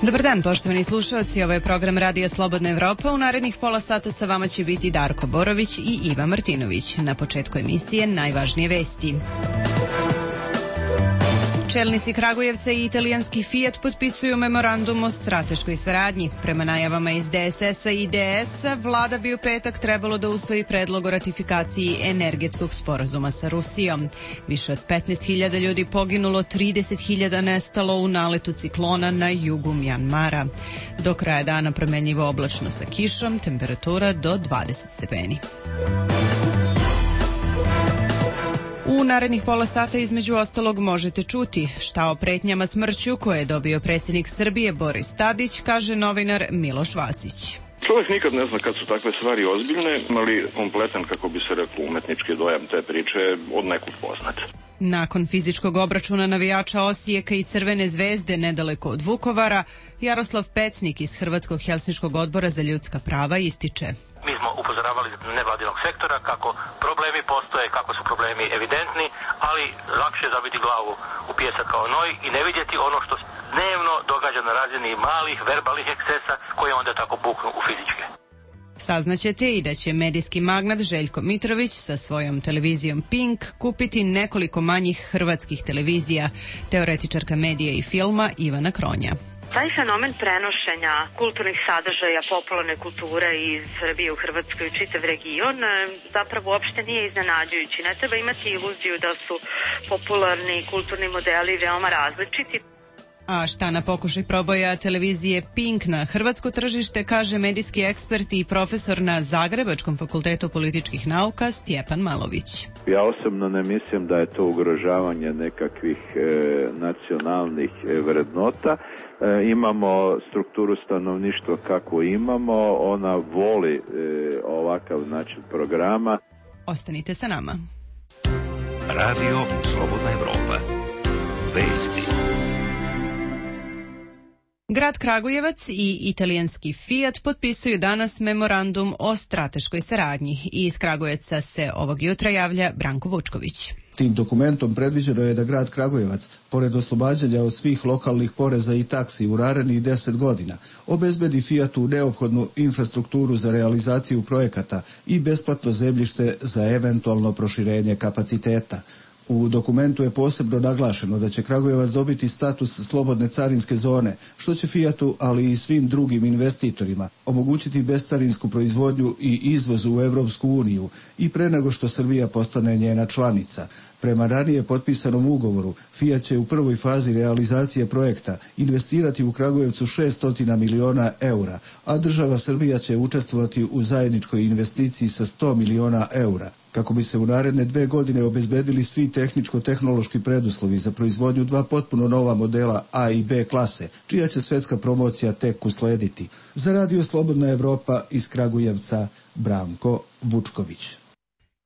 Dobar dan, poštovani slušalci, ovo je program Radija Slobodna Evropa. U narednih pola sata sa vama će biti Darko Borović i Iva Martinović. Na početku emisije najvažnije vesti. Čelnici Kragujevca i italijanski Fiat potpisuju memorandum o strateškoj saradnji. Prema najavama iz DSS-a i DS-a, vlada bi u petak trebalo da usvoji predlog o ratifikaciji energetskog sporazuma sa Rusijom. Više od 15.000 ljudi poginulo, 30.000 nestalo u naletu ciklona na jugu Mjanmara. Do kraja dana promenljivo oblačno sa kišom, temperatura do 20 stepeni. U narednih pola sata između ostalog možete čuti šta o pretnjama smrću koje je dobio predsjednik Srbije Boris Tadić, kaže novinar Miloš Vasić. Čovjek nikad ne zna kad su takve stvari ozbiljne, ali kompletan, kako bi se reklo, umetnički dojam te priče od nekud poznat. Nakon fizičkog obračuna navijača Osijeka i Crvene zvezde nedaleko od Vukovara, Jaroslav Pecnik iz Hrvatskog helsinškog odbora za ljudska prava ističe. Mi smo upozoravali nevladinog sektora kako problemi postoje, kako su problemi evidentni, ali lakše je zabiti glavu u pijesak kao noj i ne vidjeti ono što dnevno događa na razini malih verbalnih ekscesa koje onda tako buknu u fizičke. Saznaćete i da će medijski magnat Željko Mitrović sa svojom televizijom Pink kupiti nekoliko manjih hrvatskih televizija, teoretičarka medija i filma Ivana Kronja. Taj fenomen prenošenja kulturnih sadržaja popularne kulture iz Srbije u Hrvatskoj i čitav region zapravo uopšte nije iznenađujući. Ne treba imati iluziju da su popularni kulturni modeli veoma različiti. A šta na pokušaj proboja televizije Pink na hrvatsko tržište, kaže medijski ekspert i profesor na Zagrebačkom fakultetu političkih nauka Stjepan Malović. Ja osobno ne mislim da je to ugrožavanje nekakvih nacionalnih vrednota. Imamo strukturu stanovništva kako imamo, ona voli ovakav način programa. Ostanite sa nama. Radio Slobodna Evropa. Vesti. Grad Kragujevac i italijanski Fiat potpisuju danas memorandum o strateškoj saradnji. Iz Kragujevca se ovog jutra javlja Branko Vučković. Tim dokumentom predviđeno je da grad Kragujevac, pored oslobađanja od svih lokalnih poreza i taksi u narednih 10 godina, obezbedi Fiatu neophodnu infrastrukturu za realizaciju projekata i besplatno zemljište za eventualno proširenje kapaciteta. U dokumentu je posebno naglašeno da će Kragujevac dobiti status slobodne carinske zone, što će Fiatu, ali i svim drugim investitorima, omogućiti bescarinsku proizvodnju i izvoz u Evropsku uniju i pre nego što Srbija postane njena članica. Prema ranije potpisanom ugovoru, Fiat će u prvoj fazi realizacije projekta investirati u Kragujevcu 600 miliona eura, a država Srbija će učestvovati u zajedničkoj investiciji sa 100 miliona eura, kako bi se u naredne 2 godine obezbedili svi tehničko-tehnološki preduslovi za proizvodnju 2 potpuno nova modela A i B klase, čija će svetska promocija tek uslediti. Za Radio Slobodna Evropa iz Kragujevca, Branko Vučković.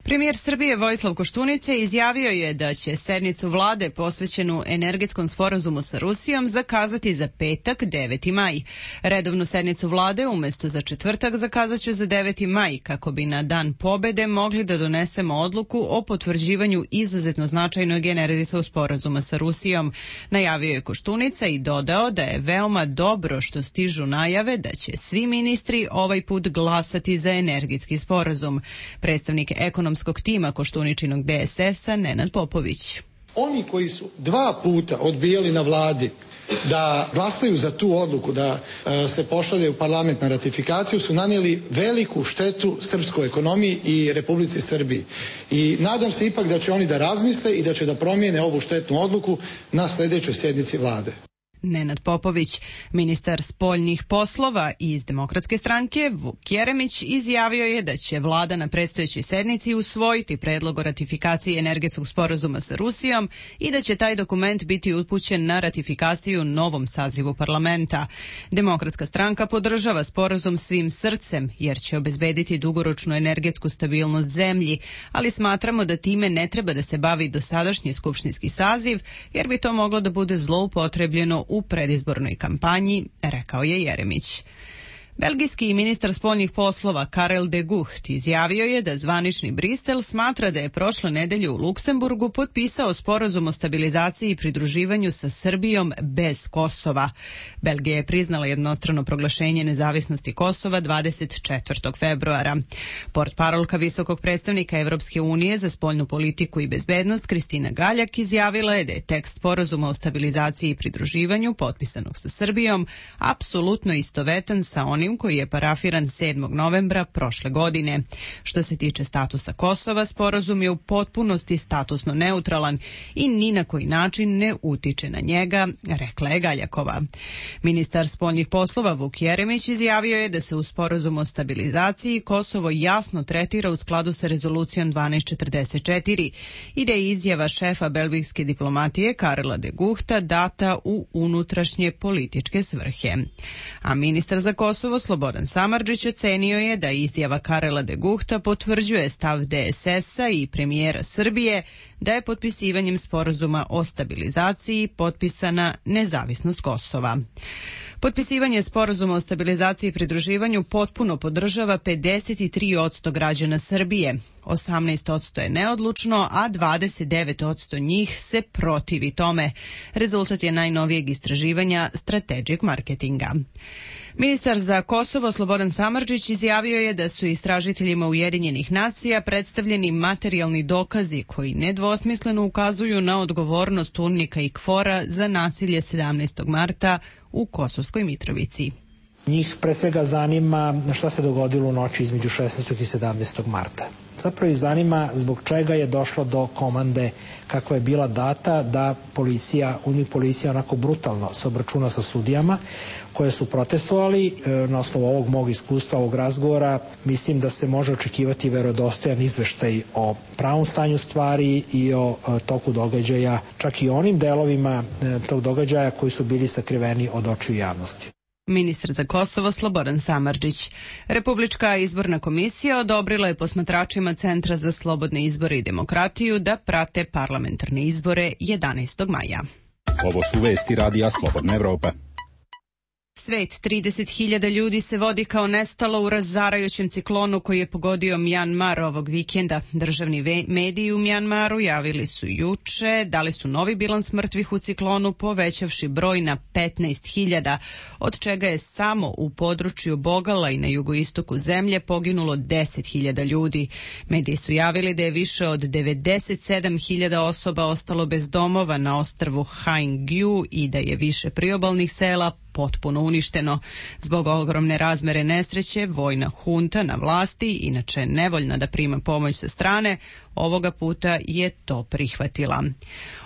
Premijer Srbije Vojislav Koštunica izjavio je da će sednicu vlade posvećenu energetskom sporazumu sa Rusijom zakazati za petak 9. maj. Redovnu sednicu vlade umjesto za četvrtak zakazaću za 9. maj kako bi na dan pobede mogli da donesemo odluku o potvrđivanju izuzetno značajnog energetskog sporazuma sa Rusijom. Najavio je Koštunica i dodao da je veoma dobro što stižu najave da će svi ministri ovaj put glasati za energetski sporazum. Predstavnik ekonomskog tima Koštuničinog DSS-a Nenad Popović. Oni koji su 2 puta odbijali na vladi da glasaju za tu odluku, da se pošalje u parlament na ratifikaciju, su nanijeli veliku štetu srpskoj ekonomiji i Republici Srbiji. I nadam se ipak da će oni da razmisle i da će da promijene ovu štetnu odluku na sljedećoj sjednici vlade. Nenad Popović, ministar spoljnih poslova iz Demokratske stranke, Vuk Jeremić, izjavio je da će vlada na predstojećoj sednici usvojiti predlog o ratifikaciji energetskog sporazuma sa Rusijom i da će taj dokument biti upućen na ratifikaciju novom sazivu parlamenta. Demokratska stranka podržava sporazum svim srcem jer će obezbediti dugoročnu energetsku stabilnost zemlji, ali smatramo da time ne treba da se bavi dosadašnji skupštinski saziv jer bi to moglo da bude zloupotrebljeno u predizbornoj kampanji, rekao je Jeremić. Belgijski ministar spoljnih poslova Karel de Gucht izjavio je da zvanični Brisel smatra da je prošle nedelje u Luksemburgu potpisao sporazum o stabilizaciji i pridruživanju sa Srbijom bez Kosova. Belgija je priznala jednostrano proglašenje nezavisnosti Kosova 24. februara. Portparolka visokog predstavnika Evropske unije za spoljnu politiku i bezbednost Kristina Galjak izjavila je da je tekst sporazuma o stabilizaciji i pridruživanju potpisanog sa Srbijom apsolutno istovetan sa onim koji je parafiran 7. novembra prošle godine. Što se tiče statusa Kosova, sporazum je u potpunosti statusno neutralan i ni na koji način ne utiče na njega, rekla je Galjakova. Ministar spoljnih poslova Vuk Jeremić izjavio je da se u sporazumu o stabilizaciji Kosovo jasno tretira u skladu sa rezolucijom 1244 i da je izjava šefa belgijske diplomatije Karela de Guchta data u unutrašnje političke svrhe. A ministar za Kosovo Slobodan Samardžić ocenio je da izjava Karela de Guchta potvrđuje stav DSS-a i premijera Srbije da je potpisivanjem sporazuma o stabilizaciji potpisana nezavisnost Kosova. Potpisivanje sporazuma o stabilizaciji i pridruživanju potpuno podržava 53% građana Srbije. 18% je neodlučno, a 29% njih se protivi tome. Rezultat je najnovijeg istraživanja Strategic Marketinga. Ministar za Kosovo Slobodan Samardžić izjavio je da su istražiteljima Ujedinjenih nacija predstavljeni materijalni dokazi koji nedvosmisleno ukazuju na odgovornost UNMIK-a i KFOR-a za nasilje 17. marta u Kosovskoj Mitrovici. Njih pre svega zanima šta se dogodilo u noći između 16. i 17. marta. Zapravo ih zanima zbog čega je došlo do komande kakva je bila data da UNMIK policija onako brutalno se obračuna sa sudijama koje su protestovali. Na osnovu ovog mog iskustva, ovog razgovora, mislim da se može očekivati verodostojan izveštaj o pravom stanju stvari i o toku događaja, čak i onim delovima tog događaja koji su bili sakriveni od očiju javnosti. Ministar za Kosovo Slobodan Samardžić. Republička izborna komisija odobrila je posmatračima Centra za slobodne izbore i demokratiju da prate parlamentarne izbore 11. maja. Ovo su vesti Radija Slobodna Evropa. Svet, 30.000 ljudi se vodi kao nestalo u razarajućem ciklonu koji je pogodio Mjanmar ovog vikenda. Državni mediji u Mjanmaru javili su juče, dali su novi bilans mrtvih u ciklonu, povećavši broj na 15.000, od čega je samo u području Bogala i na jugoistoku zemlje poginulo 10.000 ljudi. Mediji su javili da je više od 97.000 osoba ostalo bez domova na ostrvu Haengyu i da je više priobalnih sela potpuno uništeno. Zbog ogromne razmere nesreće, vojna hunta na vlasti, inače nevoljna da prima pomoć sa strane, ovoga puta je to prihvatila.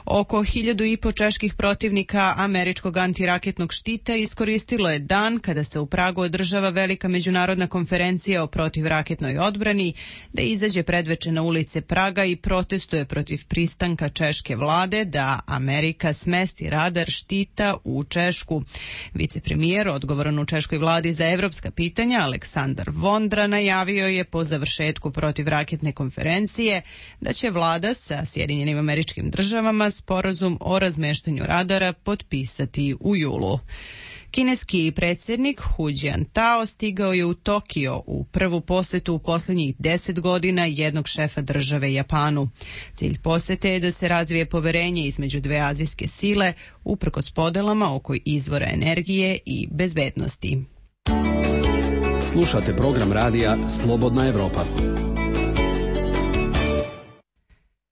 Oko 1.500 čeških protivnika američkog antiraketnog štita iskoristilo je dan kada se u Pragu održava velika međunarodna konferencija o protivraketnoj odbrani, da izađe predveče na ulice Praga i protestuje protiv pristanka češke vlade da Amerika smesti radar štita u Češku. Vicepremijer odgovoran u češkoj vladi za evropska pitanja Aleksandar Vondra najavio je po završetku protivraketne konferencije da će vlada sa Sjedinjenim Američkim Državama sporazum o razmeštanju radara potpisati u julu. Kineski predsjednik Hu Jintao stigao je u Tokio u prvu posetu u posljednjih 10 godina jednog šefa države Japanu. Cilj posete je da se razvije poverenje između dve azijske sile uprkos podelama oko izvora energije i bezbednosti. Slušate program radija Slobodna Evropa.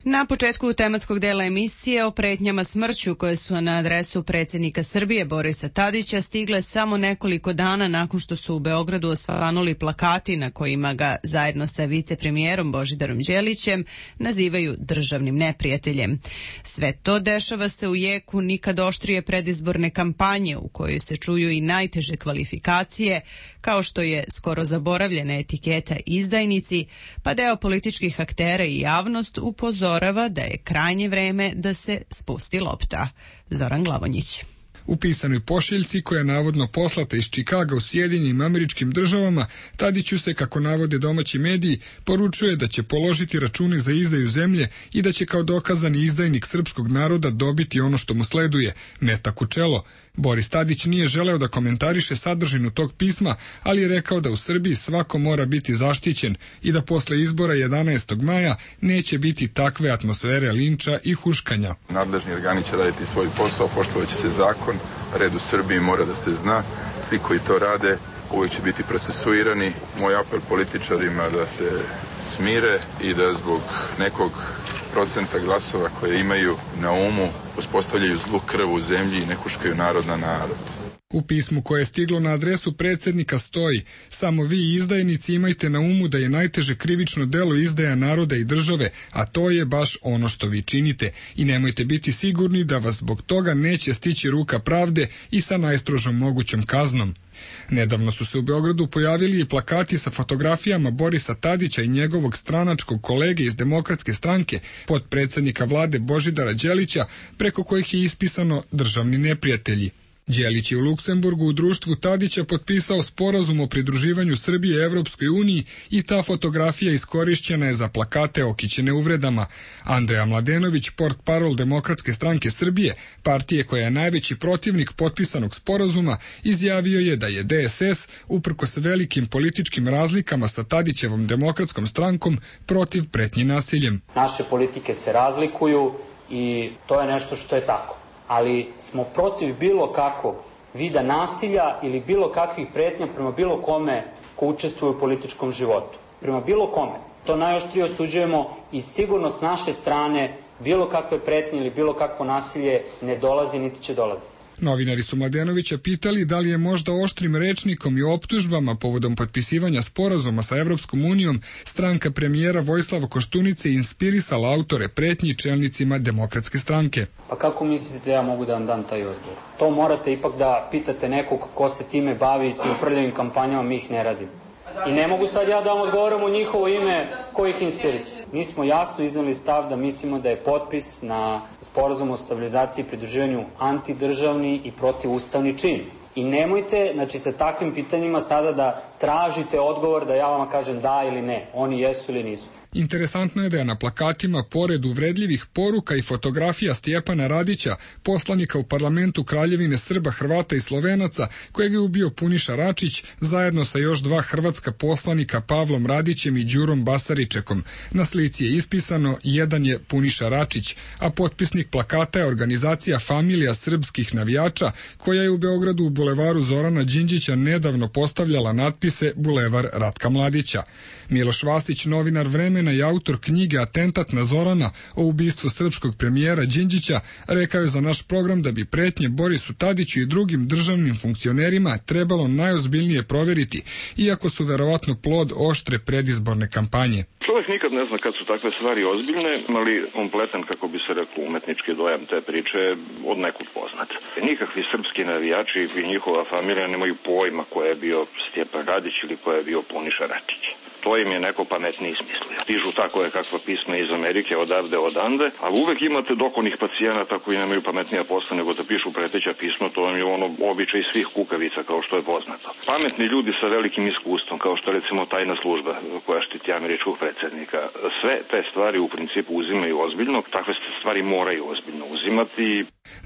Na početku tematskog dela emisije o pretnjama smrću koje su na adresu predsjednika Srbije Borisa Tadića stigle samo nekoliko dana nakon što su u Beogradu osvanuli plakati na kojima ga zajedno sa vicepremijerom Božidarom Đelićem nazivaju državnim neprijateljem. Sve to dešava se u jeku nikad oštrije predizborne kampanje u kojoj se čuju i najteže kvalifikacije, kao što je skoro zaboravljena etiketa izdajnici, pa deo političkih aktera i javnost upozorava da je krajnje vreme da se spusti lopta. Zoran Glavonjić. U pisanoj pošiljci koja je navodno poslata iz Čikaga u Sjedinjenim Američkim Državama, Tadiću se, kako navode domaći mediji, poručuje da će položiti račune za izdaju zemlje i da će kao dokazani izdajnik srpskog naroda dobiti ono što mu sleduje, metak u čelo. Boris Tadić nije želeo da komentariše sadržinu tog pisma, ali je rekao da u Srbiji svako mora biti zaštićen i da posle izbora 11. maja neće biti takve atmosfere linča i huškanja. Nadležni organi će raditi svoj posao, poštovaće se zakon, red u Srbiji mora da se zna, svi koji to rade uvijek će biti procesuirani. Moj apel političarima da se smire i da zbog nekog procenta glasova koje imaju na umu uspostavljaju zlu krv u zemlji i ne huškaju narod na narod. U pismu koje je stiglo na adresu predsjednika stoji: samo vi izdajnici imajte na umu da je najteže krivično delo izdaja naroda i države, a to je baš ono što vi činite, i nemojte biti sigurni da vas zbog toga neće stići ruka pravde i sa najstrožom mogućom kaznom. Nedavno su se u Beogradu pojavili i plakati sa fotografijama Borisa Tadića i njegovog stranačkog kolege iz Demokratske stranke, potpredsjednika vlade Božidara Đelića, preko kojih je ispisano državni neprijatelji. Đelić je u Luksemburgu u društvu Tadića potpisao sporazum o pridruživanju Srbije Evropskoj uniji i ta fotografija iskorišćena je za plakate okićene uvredama. Andreja Mladenović, portparol Demokratske stranke Srbije, partije koja je najveći protivnik potpisanog sporazuma, izjavio je da je DSS, uprkos velikim političkim razlikama sa Tadićevom Demokratskom strankom, protiv pretnji nasiljem. Naše politike se razlikuju i to je nešto što je tako. Ali smo protiv bilo kakvog vida nasilja ili bilo kakvih pretnja prema bilo kome ko učestvuje u političkom životu. Prema bilo kome. To najoštrije osuđujemo i sigurno s naše strane bilo kakve pretnje ili bilo kakvo nasilje ne dolazi niti će dolaziti. Novinari su Mladenovića pitali da li je možda oštrim rečnikom i optužbama povodom potpisivanja sporazuma sa Evropskom unijom stranka premijera Vojislava Koštunice inspirisala autore pretnji čelnicima Demokratske stranke. Pa kako mislite da ja mogu da vam dam taj odgovor? To morate ipak da pitate nekog ko se time bavi, tim prljavim kampanjama, mi ih ne radimo. I ne mogu sad ja da vam odgovorim u njihovo ime ko ih inspiriše. Mi smo jasno iznali stav da mislimo da je potpis na sporazum o stabilizaciji i pridruživanju antidržavni i protivustavni čin. I nemojte, znači, sa takvim pitanjima sada da tražite odgovor da ja vama kažem da ili ne. Oni jesu ili nisu. Interesantno je da je na plakatima, pored uvredljivih poruka i fotografija Stjepana Radića, poslanika u parlamentu Kraljevine Srba, Hrvata i Slovenaca, kojeg je ubio Puniša Račić, zajedno sa još dva hrvatska poslanika Pavlom Radićem i Đurom Basaričekom. Na slici je ispisano: jedan je Puniša Račić, a potpisnik plakata je organizacija Familija srpskih navijača, koja je u Beogradu u bulevaru Zorana Đinđića nedavno postavljala natpise Bulevar Ratka Mladića. Miloš Vasić, novinar Vremena i autor knjige Atentat na Zorana o ubistvu srpskog premijera Đinđića, rekao je za naš program da bi pretnje Borisu Tadiću i drugim državnim funkcionerima trebalo najozbiljnije proveriti, iako su verovatno plod oštre predizborne kampanje. Čovjek nikad ne zna kad su takve stvari ozbiljne, ali kompletan, kako bi se reklo, umetnički dojam te priče od nekog poznat. Nikakvi srpski navijači i njihova familija nemaju pojma ko je bio Stjepan Radić ili ko je bio Puniša Račić. To im je neko pametniji smislio. Stižu tako je kakva pisma iz Amerike, odavde, odande, ali uvek imate dokonih pacijenata koji nemaju pametnija posla nego da pišu preteća pisma. To vam je ono običaj svih kukavica, kao što je poznato. Pametni ljudi sa velikim iskustvom, kao što recimo tajna služba koja štiti američkog predsjednika, sve te stvari u principu uzimaju ozbiljno, takve stvari moraju ozbiljno uzimati.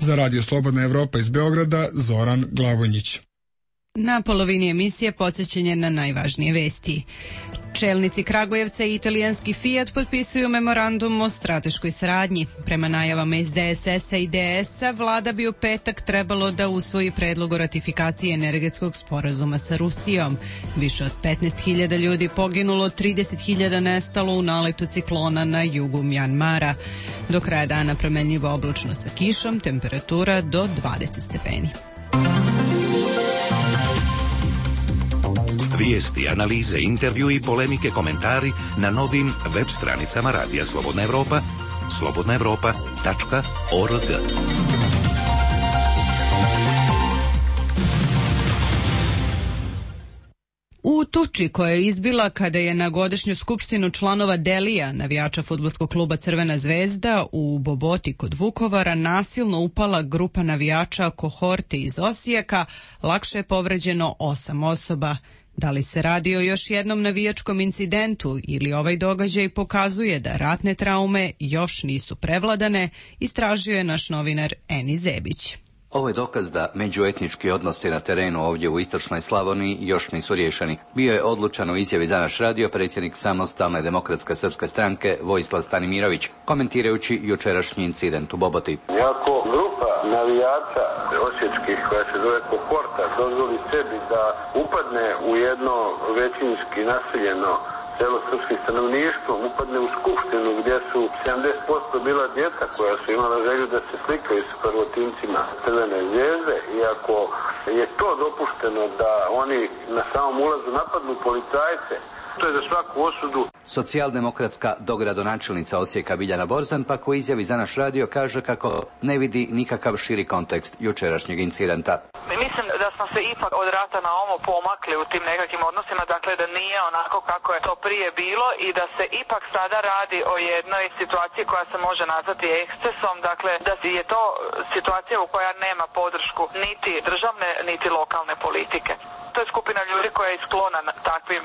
Za Radio Slobodna Evropa iz Beograda, Zoran Glavonjić. Na polovini emisije podsjećanje na najvažnije vesti. Čelnici Kragujevca i italijanski Fiat potpisuju memorandum o strateškoj saradnji. Prema najavama iz DSS-a i DS-a, vlada bi u petak trebalo da usvoji predlog o ratifikaciji energetskog sporazuma sa Rusijom. Više od 15.000 ljudi poginulo, 30.000 nestalo u naletu ciklona na jugu Mjanmara. Do kraja dana promenljivo oblačno sa kišom, temperatura do 20 stepeni. Vijesti, analize, intervju i polemike, komentari na novim web stranicama Radija Slobodna Evropa, slobodnaevropa.org. U tuči koja je izbila kada je na godišnju skupštinu članova Delija, navijača fudbalskog kluba Crvena zvezda, u Boboti kod Vukovara nasilno upala grupa navijača kohorte iz Osijeka, lakše je povređeno 8 osoba. Da li se radi o još jednom navijačkom incidentu ili ovaj događaj pokazuje da ratne traume još nisu prevladane, istražio je naš novinar Eni Zebić. Ovo je dokaz da međuetnički odnosi na terenu ovdje u istočnoj Slavoniji još nisu riješeni. Bio je odlučan u izjavi za naš radio predsjednik Samostalne demokratske srpske stranke Vojislav Stanimirović, komentirajući jučerašnji incident u Boboti. Iako grupa navijača osječkih koja se zove kohorta dozvoli sebi da upadne u jedno većinski naseljeno celo srpskim stanovništvom, upadne u skupštinu gdje su 70% bila djeca koja su imala želju da se slikaju s prvotimcima Crvene zvezde, iako je to dopušteno da oni na samom ulazu napadnu policajce, to je za svaku osudu. Socijaldemokratska dogradonačelnica Osijeka Biljana Borzan pak u izjavi za naš radio kaže kako ne vidi nikakav širi kontekst jučerašnjeg incidenta. Mislim da smo se ipak od rata na ovo pomakli u tim nekakvim odnosima, dakle da nije onako kako je to prije bilo i da se ipak sada radi o jednoj situaciji koja se može nazvati ekscesom, dakle da je to situacija u koja nema podršku niti državne niti lokalne politike. To je skupina ljudi koja je sklona takvim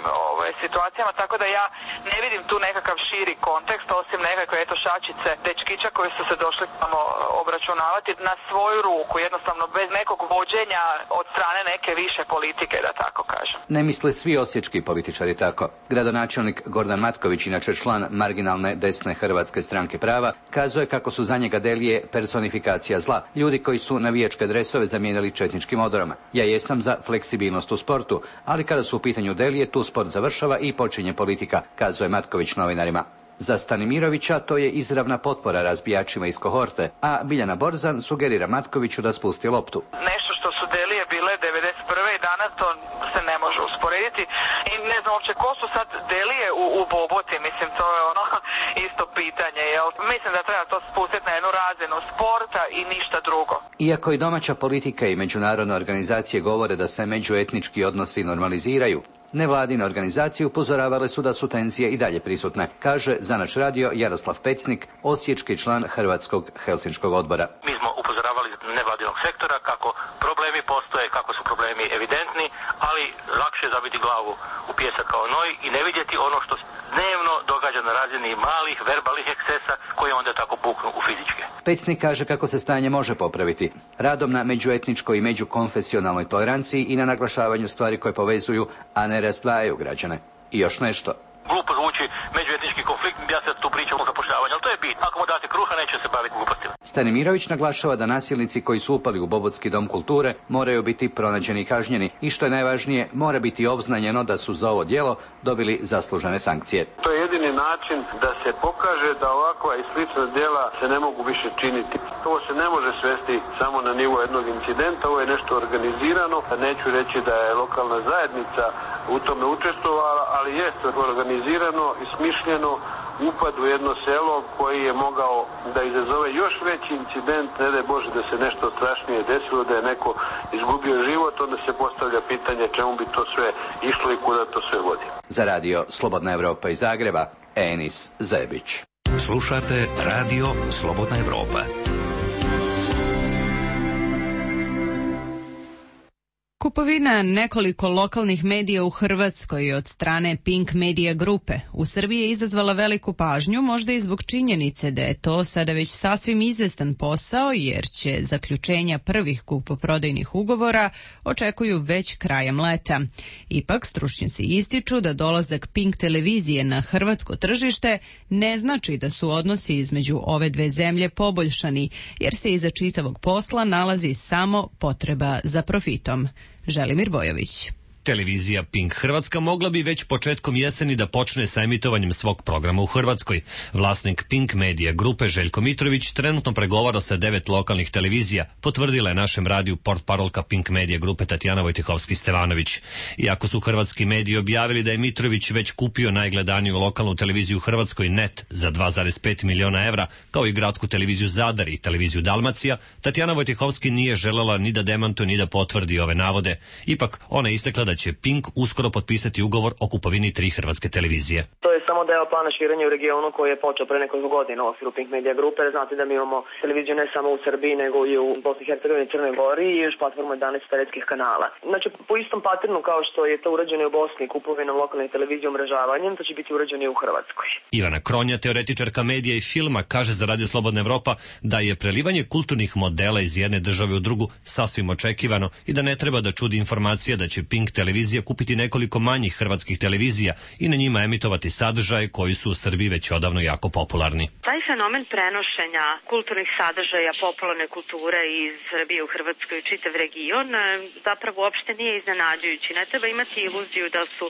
situacijama, tako da ja ne vidim tu nekakav širi kontekst, osim nekakve šačice dečkića koji su se došli tamo obračunavati na svoju ruku, jednostavno bez nekog vođenja od strane neke više politike, da tako kažem. Ne misle svi osječki političari tako. Gradonačelnik Gordan Matković, inače član marginalne desne Hrvatske stranke prava, kazuje kako su za njega Delije personifikacija zla, ljudi koji su navijačke dresove zamijenili četničkim odorama. Ja jesam za fleksibilnost u sportu, ali kada su u pitanju Delije, tu sport završava i počinje politika, kazuje Matković novinarima. Za Stanimirovića to je izravna potpora razbijačima iz kohorte, a Biljana Borzan sugerira Matkoviću da spusti loptu. Nešto što su Delije bile 91. i danas to se ne može usporediti i ne znam uopće ko su sad Delije u Boboti, mislim to je ono isto pitanje, jel? Mislim da treba to spustiti na jednu razinu sporta i ništa drugo. Iako i domaća politika i međunarodne organizacije govore da se međuetnički odnosi normaliziraju, nevladine organizacije upozoravale su da su tenzije i dalje prisutne, kaže za naš radio Jaroslav Pecnik, osječki član Hrvatskog helsinškog odbora. Mi smo upozoravali nevladinog sektora kako problemi postoje, kako su problemi evidentni, ali lakše je zabiti glavu u pijesak kao noj i ne vidjeti ono što dnevno događa na razini malih verbalnih ekscesa koji onda tako buknu u fizičke. Pecnik kaže kako se stanje može popraviti radom na međuetničkoj i međukonfesionalnoj toleranciji i na naglašavanju stvari koje povezuju, a ne razdvajaju građane. I još nešto. Glupo zvuči međuetnički konflikt, ja sad tu pričam o zapošljavanju, ali to je bit. Ako mu date kruha, neće se baviti glupostima. Stanimirović naglašava da nasilnici koji su upali u Bobotski dom kulture moraju biti pronađeni i kažnjeni i što je najvažnije, mora biti obznanjeno da su za ovo djelo dobili zaslužene sankcije. To je jedini način da se pokaže da ovakva i slična djela se ne mogu više činiti. Ovo se ne može svesti samo na nivo jednog incidenta, ovo je nešto organizirano. Neću reći da je lokalna zajednica u tome učestvovala, ali jeste organizirano i smišljeno upad u jedno selo koji je mogao da izazove još veći incident, ne daj Bože da se nešto strašnije desilo, da je neko izgubio život, onda se postavlja pitanje čemu bi to sve išlo i kuda to sve vodi. Za radio Slobodna Evropa iz Zagreba, Enis Zebić. Slušate radio Slobodna Evropa. Kupovina nekoliko lokalnih medija u Hrvatskoj od strane Pink Media grupe u Srbiji je izazvala veliku pažnju, možda i zbog činjenice da je to sada već sasvim izvestan posao, jer će zaključenja prvih kupoprodajnih ugovora očekuju već krajem leta. Ipak, stručnjaci ističu da dolazak Pink televizije na hrvatsko tržište ne znači da su odnosi između ove dve zemlje poboljšani, jer se iza čitavog posla nalazi samo potreba za profitom. Želimir Bojović. Televizija Pink Hrvatska mogla bi već početkom jeseni da počne sa emitovanjem svog programa u Hrvatskoj. Vlasnik Pink Media grupe Željko Mitrović trenutno pregovara sa 9 lokalnih televizija, potvrdila je našem radiju portparolka Pink Media grupe Tatjana Vojtehovski-Stevanović. Iako su hrvatski mediji objavili da je Mitrović već kupio najgledaniju lokalnu televiziju u Hrvatskoj NET za 2,5 miliona evra, kao i gradsku televiziju Zadar i televiziju Dalmacija, Tatjana Vojtehovski nije želela ni da demantuje ni da potvrdi ove navode. Ipak, ona je istakla da će Pink uskoro potpisati ugovor o kupovini 3 hrvatske televizije. To je samo deo plana širenja u regionu koji je počeo pre nekoliko godina u okviru Pink Media Grupe. Znate da mi imamo televiziju ne samo u Srbiji, nego i u Bosni i Hercegovini i Crnoj Gori i još platformu 11 satelitskih kanala. Znači, po istom paternu kao što je to urađeno u Bosni kupovinom lokalne televizije umrežavanjem, to će biti urađeno i u Hrvatskoj. Ivana Kronja, teoretičarka medija i filma, kaže za Radio Slobodna Evropa da je prelivanje kulturnih modela iz jedne države u drugu sasvim očekivano i da ne treba da čudi informacija da će Pink televizija kupiti nekoliko manjih hrvatskih televizija i na njima emitovati sadržaje koji su u Srbiji već odavno jako popularni. Taj fenomen prenošenja kulturnih sadržaja popularne kulture iz Srbije u Hrvatskoj i čitav region zapravo uopšte nije iznenađujući. Ne treba imati iluziju da su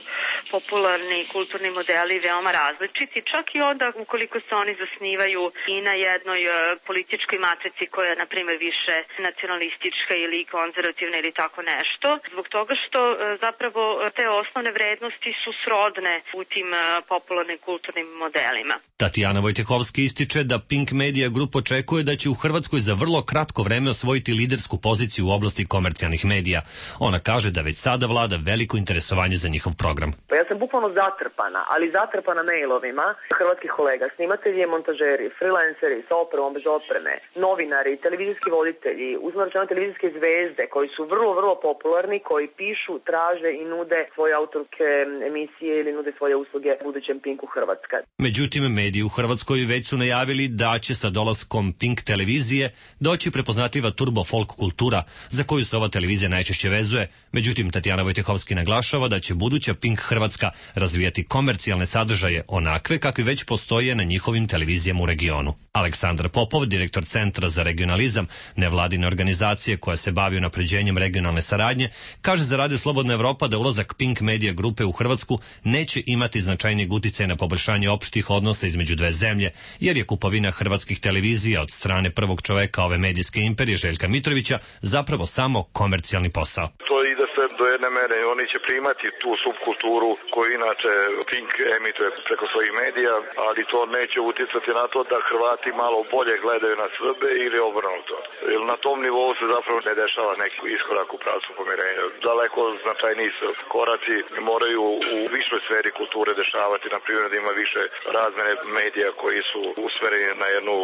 popularni kulturni modeli veoma različiti, čak i onda ukoliko se oni zasnivaju i na jednoj političkoj matrici koja je, na primjer, više nacionalistička ili konzervativna ili tako nešto, zbog toga što zapravo te osnovne vrednosti su srodne u tim popularnim kulturnim modelima. Tatjana Vojtehovski ističe da Pink Media Group očekuje da će u Hrvatskoj za vrlo kratko vreme osvojiti lidersku poziciju u oblasti komercijalnih medija. Ona kaže da već sada vlada veliko interesovanje za njihov program. Ja sam bukvalno zatrpana, ali zatrpana mailovima hrvatskih kolega, snimatelji, montažeri, freelanceri sa opremom, bez opreme, novinari, televizijski voditelji, uzmano televizijske zvezde koji su vrlo, vrlo popularni, koji pišu, traže i nude svoje autorske emisije ili nude svoje usluge budućem Pinku Hrvatska. Međutim, mediji u Hrvatskoj već su najavili da će sa dolaskom Pink televizije doći prepoznatljiva turbo folk kultura za koju se ova televizija najčešće vezuje. Međutim, Tatjana Vojtehovski naglašava da će buduća Pink Hrvatska razvijati komercijalne sadržaje onakve kakvi već postoje na njihovim televizijama u regionu. Aleksandar Popov, direktor Centra za regionalizam, nevladine organizacije koja se bavi unapređenjem regionalne saradnje, kaže za Radio Slobodna Evropa da ulazak Pink Media Grupe u Hrvatsku neće imati značajnijeg uticaja na poboljšanje opštih odnosa između dve zemlje, jer je kupovina hrvatskih televizija od strane prvog čoveka ove medijske imperije Željka Mitrovića zapravo samo komercijalni posao. To ide sve do jedne mere, oni će primati tu subkulturu koju inače Pink emituje preko svojih medija, ali to neće uticati na to da Hrvati malo bolje gledaju na Srbe ili obrnuto. Jer na tom nivou se zapravo ne dešava neki iskorak u pravcu pomirenja. Daleko značajniji se koraci moraju u višoj sferi kulture dešavati, na primjer da ima više razmene medija koji su usmereni na jednu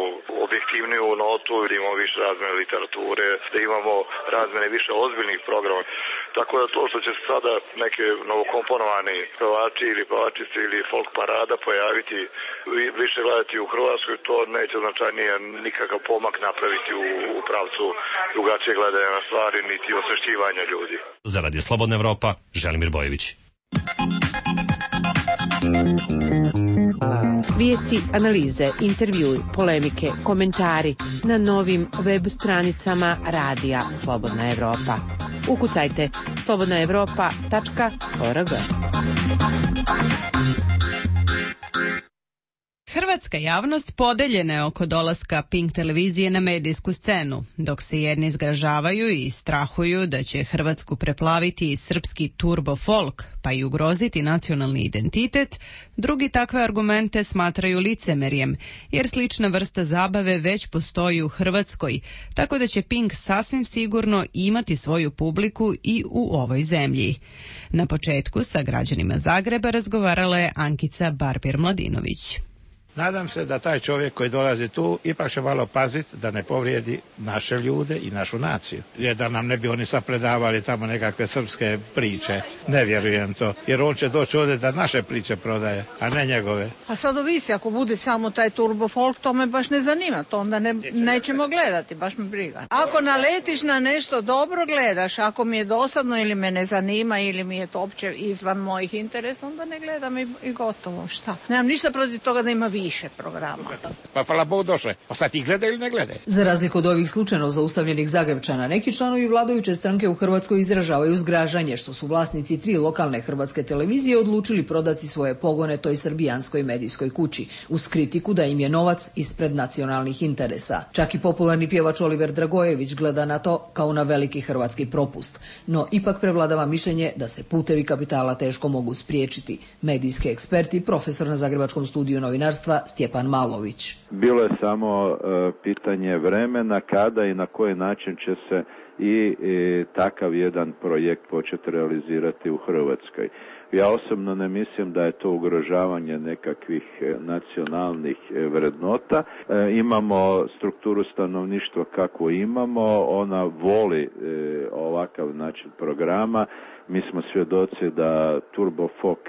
objektivniju notu, da imamo više razmene literature, da imamo razmene više ozbiljnih programa. Tako da to što će se sada neke novokomponovani pevači ili pevačice ili folk parada pojaviti, više gledati u Hrvatskoj, to neće značajnije nikakav pomak napraviti u pravcu drugačije gledanja na stvari, niti osvešćivanja ljudi. Za Radio Slobodna Evropa, Želimir Bojević. Vijesti, analize, intervjui, polemike, komentari na novim web stranicama Radija Slobodna Evropa. Ukucajte slobodnaevropa.org. Hrvatska javnost podeljena je oko dolaska Pink televizije na medijsku scenu, dok se jedni zgražavaju i strahuju da će Hrvatsku preplaviti i srpski turbo folk, pa i ugroziti nacionalni identitet, drugi takve argumente smatraju licemerjem, jer slična vrsta zabave već postoji u Hrvatskoj, tako da će Pink sasvim sigurno imati svoju publiku i u ovoj zemlji. Na početku sa građanima Zagreba razgovarala je Ankica Barbir-Mladinović. Nadam se da taj čovjek koji dolazi tu ipak će malo paziti da ne povrijedi naše ljude i našu naciju. Jer da nam ne bi oni sad predavali tamo nekakve srpske priče. Ne vjerujem to. Jer on će doći ovdje da naše priče prodaje, a ne njegove. A sad ovisi, ako bude samo taj turbo folk, to me baš ne zanima. To onda nećemo gledati, baš me briga. Ako naletiš na nešto dobro gledaš, ako mi je dosadno ili me ne zanima ili mi je to opće izvan mojih interesa, onda ne gledam i gotovo. Šta? Nemam ništa protiv toga da ima više programa. Pa hvala Bogu došle. Pa sad ti gledaju ili ne gledaju? Za razliku od ovih slučajno zaustavljenih Zagrebčana, neki članovi vladajuće stranke u Hrvatskoj izražavaju zgražanje što su vlasnici 3 lokalne hrvatske televizije odlučili prodati svoje pogone toj srbijanskoj medijskoj kući, uz kritiku da im je novac ispred nacionalnih interesa. Čak i popularni pjevač Oliver Dragojević gleda na to kao na veliki hrvatski propust. No ipak prevladava mišljenje da se putevi kapitala teško mogu spriječiti. Medijski ekspert i profesor na Zagrebačkom studiju novinarstva ministarstva Stjepan Malović. Bilo je samo pitanje vremena kada i na koji način će se i takav jedan projekt početi realizirati u Hrvatskoj. Ja osobno ne mislim da je to ugrožavanje nekakvih nacionalnih vrednota. Imamo strukturu stanovništva kakvu imamo, ona voli ovakav način programa. Mi smo svjedoci da Turbo Folk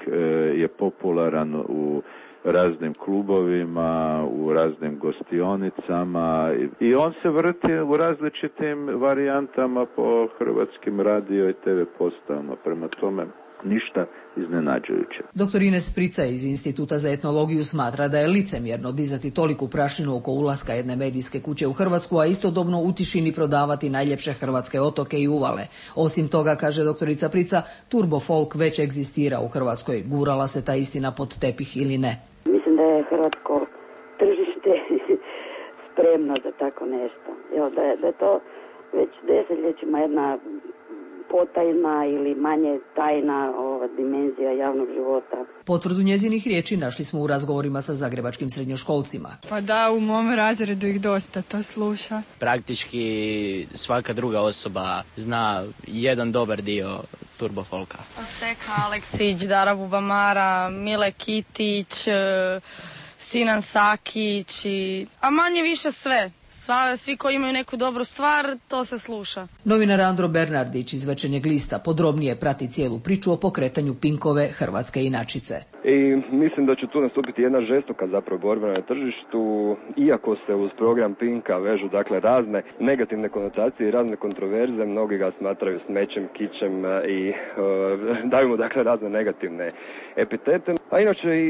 je popularan u raznim klubovima, u raznim gostionicama i on se vrti u različitim varijantama po hrvatskim radio i TV postavama. Prema tome, ništa iznenađujuće. Dr. Ines Prica iz Instituta za etnologiju smatra da je licemjerno dizati toliku prašinu oko ulaska jedne medijske kuće u Hrvatsku, a istodobno u tišini prodavati najljepše hrvatske otoke i uvale. Osim toga, kaže doktorica Prica, Turbo Folk već egzistira u Hrvatskoj. Gurala se ta istina pod tepih ili ne? Mislim da je hrvatsko tržište spremno za tako nešto. Da je to već desetljećima jedna potajna ili manje tajna dimenzija javnog života. Potvrdu njezinih riječi našli smo u razgovorima sa zagrebačkim srednjoškolcima. Pa da, u mom razredu ih dosta to sluša. Praktički svaka druga osoba zna jedan dobar dio Turbo Folka. Steka Aleksić, Dara Bubamara, Mile Kitić, Sinan Sakić, a manje više sve. Svi koji imaju neku dobru stvar, to se sluša. Novinar Andro Bernardić iz Večernjeg lista podrobnije prati cijelu priču o pokretanju Pinkove hrvatske inačice. I mislim da će tu nastupiti jedna žestoka zapravo borba na tržištu, iako se uz program Pinka vežu dakle razne negativne konotacije i razne kontroverze, mnogi ga smatraju smećem, kičem i daju mu dakle razne negativne epitete. A inače i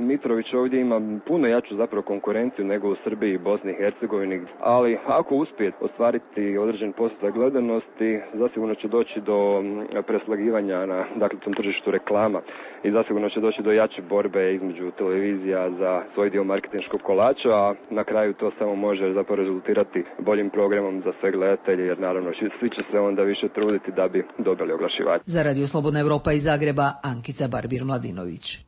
Mitrović ovdje ima puno jaču zapravo konkurenciju nego u Srbiji i Bosni i Hercegovini, ali ako uspije ostvariti određen postotak gledanosti, zasigurno će doći do preslagivanja na dakle tom tržištu reklama i zasigurno će doći do jače borbe između televizija za svoj dio marketinškog kolača, a na kraju to samo može zapravo rezultirati boljim programom za sve gledatelje, jer naravno svi će se onda više truditi da bi dobili oglašivače. Za Radio Slobodna Evropa iz Zagreba, Ankica Barbir-Mladinović.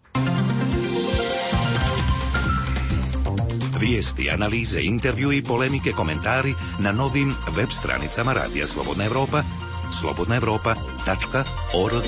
Vijesti, analize, intervju i polemike, komentari na novim web stranicama Radija Slobodna Evropa, slobodnaevropa.org.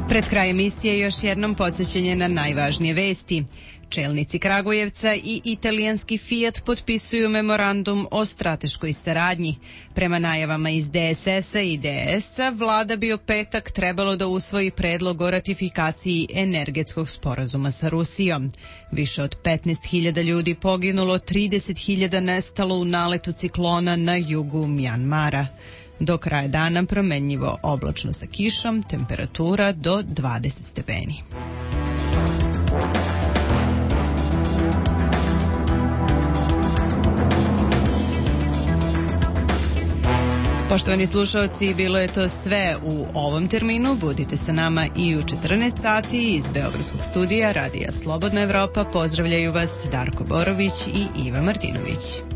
Pred kraj emisije još jednom podsjećanje na najvažnije vesti. Čelnici Kragujevca i italijanski Fiat potpisuju memorandum o strateškoj saradnji. Prema najavama iz DSS-a i DS-a, vlada bi u petak trebalo da usvoji predlog o ratifikaciji energetskog sporazuma sa Rusijom. Više od 15.000 ljudi poginulo, 30.000 nestalo u naletu ciklona na jugu Mjanmara. Do kraja dana promenljivo oblačno sa kišom, temperatura do 20 stepeni. Poštovani slušalci, bilo je to sve u ovom terminu. Budite sa nama i u 14 sati iz Beogradskog studija Radija Slobodna Evropa. Pozdravljaju vas Darko Borović i Iva Martinović.